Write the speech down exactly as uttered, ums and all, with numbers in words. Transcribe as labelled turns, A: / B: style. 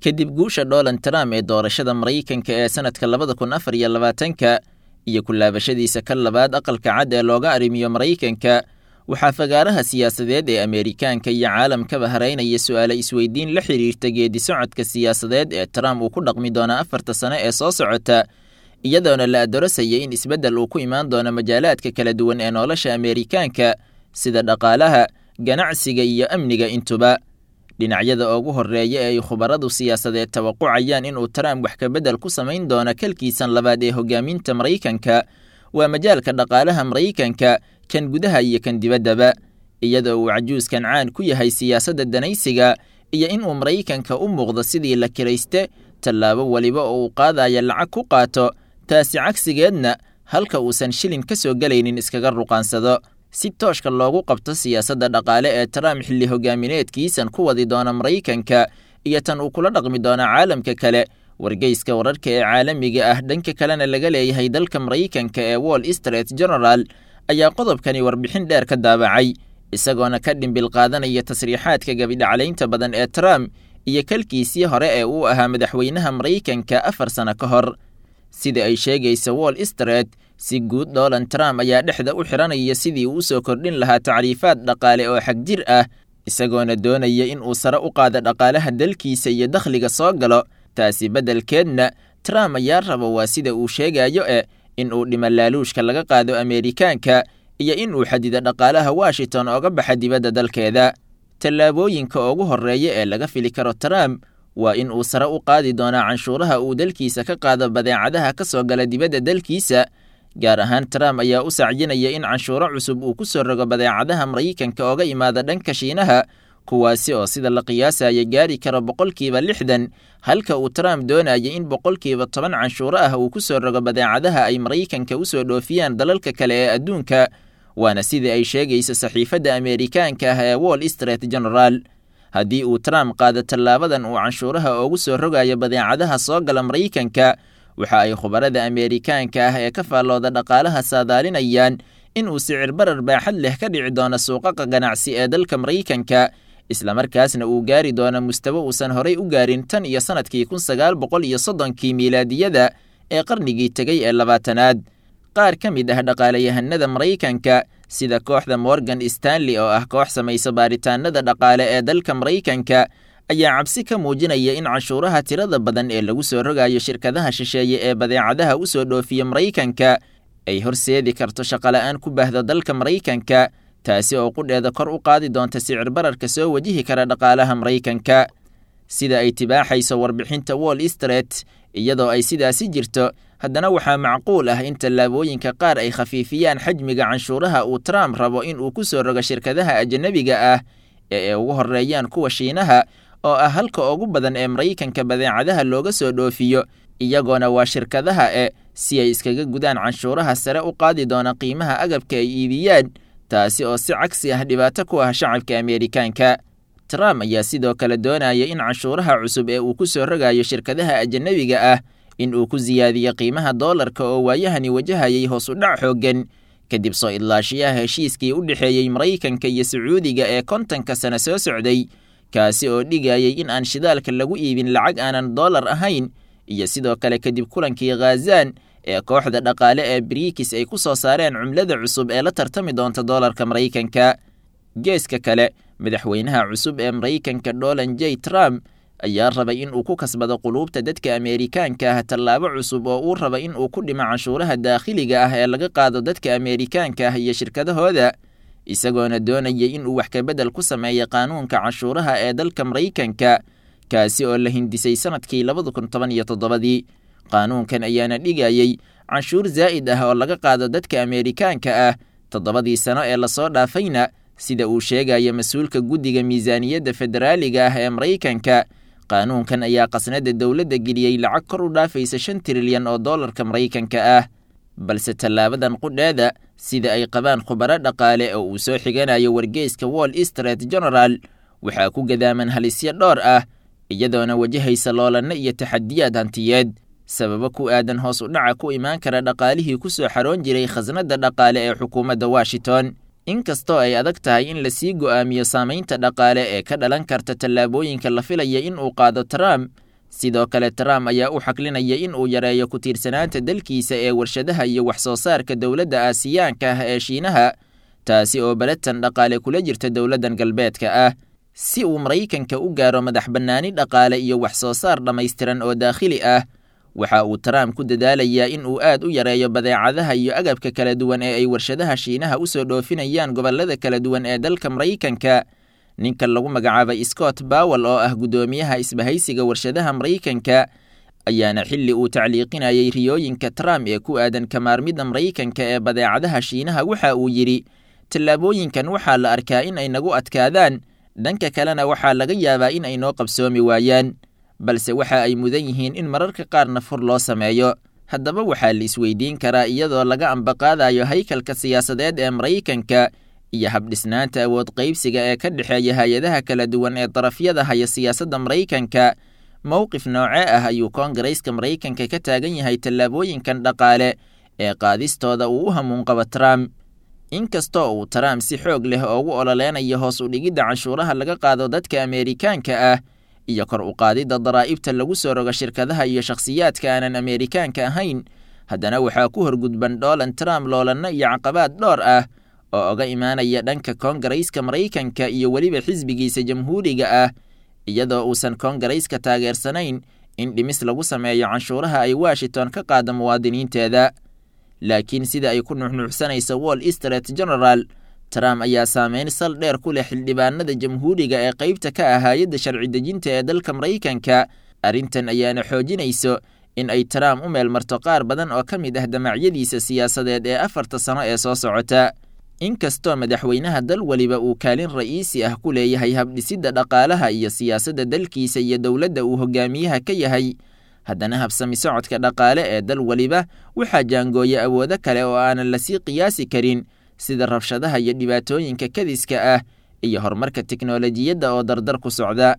A: Kadib guusha Donald Trump ee doorashada Maraykanka ee sanadka labada kun afar iyo labaatanka iyo ku laabashadiisa ka labaad aqalka cad ee looga arrimiyo Maraykanka, waxaa fagaaraha siyaasadeed ee Ameerikaanka iyo caalamkaba haraynaya su'aalo isweydiin la xiriirta geedi socodka siyaasadeed ee Trump uu ku dhaqmi doono afarta sano ee soo socota, iyadoona la adoorasaya in isbeddel uu ku imaan doono majaalaadka kala duwan ee nolosha Ameerikaanka sida dhaqaalaha, ganacsiga iyo amniga intuba. Dhinacyada ugu horreeya ee ay khubaradu siyaasadeed tawaqucayaan inuu Trump wax ka beddel ku samayn doono kalkiisan labaad ee hogaaminta Maraykanka waa majaalka dhaqaalaha Maraykanka, kan gudaha iyo kan dibaddaba, iyadoo uu cajuuskan caan ku yahay siyaasadda danaysiga iyo inuu Maraykanka u muuqdo sidii la kirayste tallaabo waliba oo uu qaadaya lacag ku qaato, taasi cagsigeedna halka uusan shilin ka soo gelaynin iskaga ruqaansado. Si tooshka loogu qabto siyaasadda dhaqaale ee Trump xilli hogaamineedkiisan ku wadi doona Maraykanka iyo tan uu kula dhaqmi doono caalamka kale, wargeyska wararka ee caalamiga ah dhanka kalena laga leeyahay dalka Maraykanka ee Wall Street Journal ayaa qodobkani warbixin dheer ka daabacay, isagoona ka dhimbil qaadanaya tasriixaadka gabidhaclaynta badan ee Trump iyo kalkiisii hore ee uu ahaa madaxweynaha Maraykanka afar sano ka hor. Sida ay sheegaysa Wall Street, si guud Donald Trump ayaa dhexda u xiranaya sidii uu usoo kordhin lahaa tacriifaad dhaqaale oo xagjir ah, isagoona doonaya in uu sare u qaado dhaqaalaha dalkiisa iyo dakhliga soo galo. Taasi beddelkeedna Trump ayaa raba, waa sida uu sheegayo e, in uu dhimo laaluushka laga qaado Ameerikaanka iyo in uu xadido dhaqaalaha Washington ooga baxa dibadda dalkeeda. Tallaabooyinka ugu horreeya ee laga fili karo Trump waa in uu sare u qaadi doonaa canshuuraha uu dalkiisa ka qaado badeecadaha ka soo gala dibadda dalkiisa. Gaar ahaan Trump ayaa u sacyinaya in canshuuro cusub uu ku soo rogo badeecadaha Maraykanka ooga imaada dhanka Shiinaha, kuwaasi oo sida la qiyaasaya gaari karo boqolkiiba lixdan, halka uu Trump doonaya in boqolkiiba toban canshuuro ah uu ku soo rogo badeecadaha ay Maraykanka u soo dhoofiyaan dalalka kale ee adduunka, waana sidii ay sheegaysa saxiifadda Ameerikaanka ah ee Wall Street Journal. Haddii uu Trump qaado tallaabadan uu canshuuraha ugu soo rogayo badeecadaha soo gala Maraykanka, waxa ay khubarada Ameerikaanka ah ee ka faallooda dhaqaalaha saadaalinayaan in uu sicir barar baaxad leh ka dhici doono suuqaqa ganacsi ee dalka Maraykanka, islamarkaasna uu gaari doono mustawo uusan horay u gaarin tan iyo sanadkii kun sagaal boqol iyo soddonkii miilaadiyada ee qarnigii tegey ee labaatanaad. Qaar ka mid ah dhaqaalayahanada Maraykanka sida kooxda Morgan Stanley oo ah koox samaysa baaritaanada dhaqaale ee dalka Maraykanka ayaa cabsi ka muujinaya in canshuuraha tirada badan ee lagu soo rogayo shirkadaha shisheeye ee badeecadaha u soo dhoofiya Maraykanka ay horseedi karto shaqola'aan ku baahda dalka Maraykanka, taasi oo qudheeda kor u qaadi doonta sicir bararka soo wajihi kara dhaqaalaha Maraykanka. Sida ay tibaaxayso warbixinta Wall Street, iyadoo ay sidaasi jirto, haddana waxaa macquul ah in tallaabooyinka qaar ay khafiifiyaan xajmiga canshuuraha uu Trump rabo in uu ku soo rogo shirkadaha ajanabiga ah ee ay ugu horreeyaan kuwa Shiinaha oo ah halka ugu badan ee Maraykanka badeecadaha looga soo dhoofiyo, iyagoona waa shirkadaha e si ay iskaga gudaan canshuuraha sare u qaadi doona qiimaha agabka ay iibiyaan, taasi oo si cagsi ah dhibaato ku ah shacabka Ameerikaanka. Trump ayaa sidoo kale doonaya in canshuuraha cusub ee uu ku soo rogayo shirkadaha ajanabiga ah in uu ku siyaadiyo qiimaha doolarka oo waayahani wajahayay hoos u dhac xooggan kadib soo idlaashiyaha heshiiskii u dhexeeyey Maraykanka iyo Sacuudiga ee kontonka sano soo socday, kaasi oo dhigayay in aan shidaalka lagu iibin lacag aanan doolar ahayn, iyo sidoo kale kadib kulankii Khazan ee kooxda dhaqaale ee Brics ay ku soo saareen cumlada cusub ee la tartami doonta doolarka Maraykanka. Geeska kale, madaxweynaha cusub ee Maraykanka Donald J Trump ayaa rabay in uu ku kasbado quluubta dadka Ameerikaanka ah tallaabo cusub oo uu raba in uu ku dhimo canshuuraha daakhiliga ah ee laga qaado dadka Ameerikaanka ah iyo shirkadahooda, isagoona doonaya in uu wax ka beddel ku sameeyo qaanuunka canshuuraha ee dalka Maraykanka, kaasi oo la hindisay sanadkii labada kun toban iyo toddobadii. Qaanuunkan ayaana dhigayay canshuur zaa'id ah oo laga qaado dadka Ameerikaanka ah toddobadii sano ee lasoo dhaafayna, sida uu sheegaya mas-uulka guddiga miisaaniyadda federaaliga ah ee Maraykanka. Qaanuunkan ayaa qasnada dowladda geliyey lacag kor u dhaafaysa shan trilyan oo doolarka Maraykanka ah. Balse tallaabadan qudheeda, sida ay qabaan khubaro dhaqaale oo uu soo xiganayo wargeyska Wall Street Journal, waxaa ku gadaaman halisyo dhowr ah, iyadoona wajahaysa loolanno iyo taxadiyaad hantiyeed, sababo ku aadan hoos u dhaca ku imaan kara dhaqaalihii ku soo xaroon jiray khasnadda dhaqaale ee xukuumadda Washington. Inkastoo ay adag tahay in lasii go'aamiyo saamaynta dhaqaale ee ka dhalan karta tallaabooyinka la filaya in uu qaado Trump, Sidoo kale Trump ayaa u xaklinaya in uu yareeyo ku tiirsanaanta dalkiisa ee warshadaha iyo wax soo saarka dowladda Aasiyaanka ah ee Shiinaha, taasi oo balatan dhaqaale kula jirta dowladdan galbeedka ah, si uu Maraykanka u gaaro madax bannaani dhaqaale iyo wax soo saar dhammaystiran oo daakhili ah. Waxa uu Trump ku dadaalayaa in uu aad u yareeyo badeecadaha iyo agabka kala duwan ee ay warshadaha Shiinaha u soo dhoofinayaan gobollada kala duwan ee dalka Maraykanka. Ninka lagu magacaabay Scott Powell oo ah guddoomiyaha isbahaysiga warshadaha Maraykanka ayaana xilli uu tacliiqinayay riyooyinka Trump ee ku aadan kamaarmidda Maraykanka ee badeecadaha Shiinaha waxa uu yidhi: tallaabooyinkan waxaa la arkaa in ay nagu adkaadaan, dhanka kalena waxaa laga yaabaa in ay noo qabsoomi waayaan, balse waxa ay mudan yihiin in mararka qaarna fur loo sameeyo. Haddaba waxaa la isweydiin karaa, iyadoo laga ambaqaadayo haykalka siyaasadeed ee Maraykanka iyo habdhisnaanta awood qaybsiga ee ka dhexeeya hay-adaha kala duwan ee darafyada haya siyaasadda Maraykanka, mowqif noocee ah ayuu Koongareyska Maraykanka ka taagan yahay tallaabooyinkan dhaqaale ee qaadistooda uu u hamuun qabo Trump? Inkastoo uu Trump si xoog leh ugu ololeynayo hoos u dhigidda canshuuraha laga qaado dadka Ameerikaanka ah iyo kor u qaadidda daraa'ibta lagu soo rogo shirkadaha iyo shakhsiyaadka aanan Ameerikaanka ahayn, haddana waxaa ku horgudban Donald Trump loolanno iyo caqabaad dhowr ah oo oga imaanaya dhanka Koongareyska Maraykanka iyo weliba xisbigiisa Jamhuuriga ah, iyadoo uusan Koongareyska taageersanayn in dhimis lagu sameeyo canshuuraha ay Washington ka qaado muwaadiniinteeda. Laakiin sida ay ku nuuxnuuxsanayso Wall Street General, Trump ayaa saameyn sal dheer ku leh xildhibaanada Jamhuuriga ee qaybta ka ah hay'adda sharci dejinta ee dalka Maraykanka. Arrintan ayaana xoojinayso in ay Trump u meelmarto qaar badan oo ka mid ah damacyadiisa siyaasadeed ee afarta sano ee soo socota. Inkastoo madaxweynaha dal waliba uu kaalin ra'iisi ah ku leeyahay habdhisidda dhaqaalaha iyo siyaasadda dalkiisa iyo dowladda uu hogaamiyaha ka yahay, haddana habsami socodka dhaqaale ee dal waliba waxaa jaangooya awoodo kale oo aanan lasii qiyaasi karin, sida rabshadaha iyo dhibaatooyinka kadiska ah iyo horumarka tiknoolajiyadda oo dardar ku socda.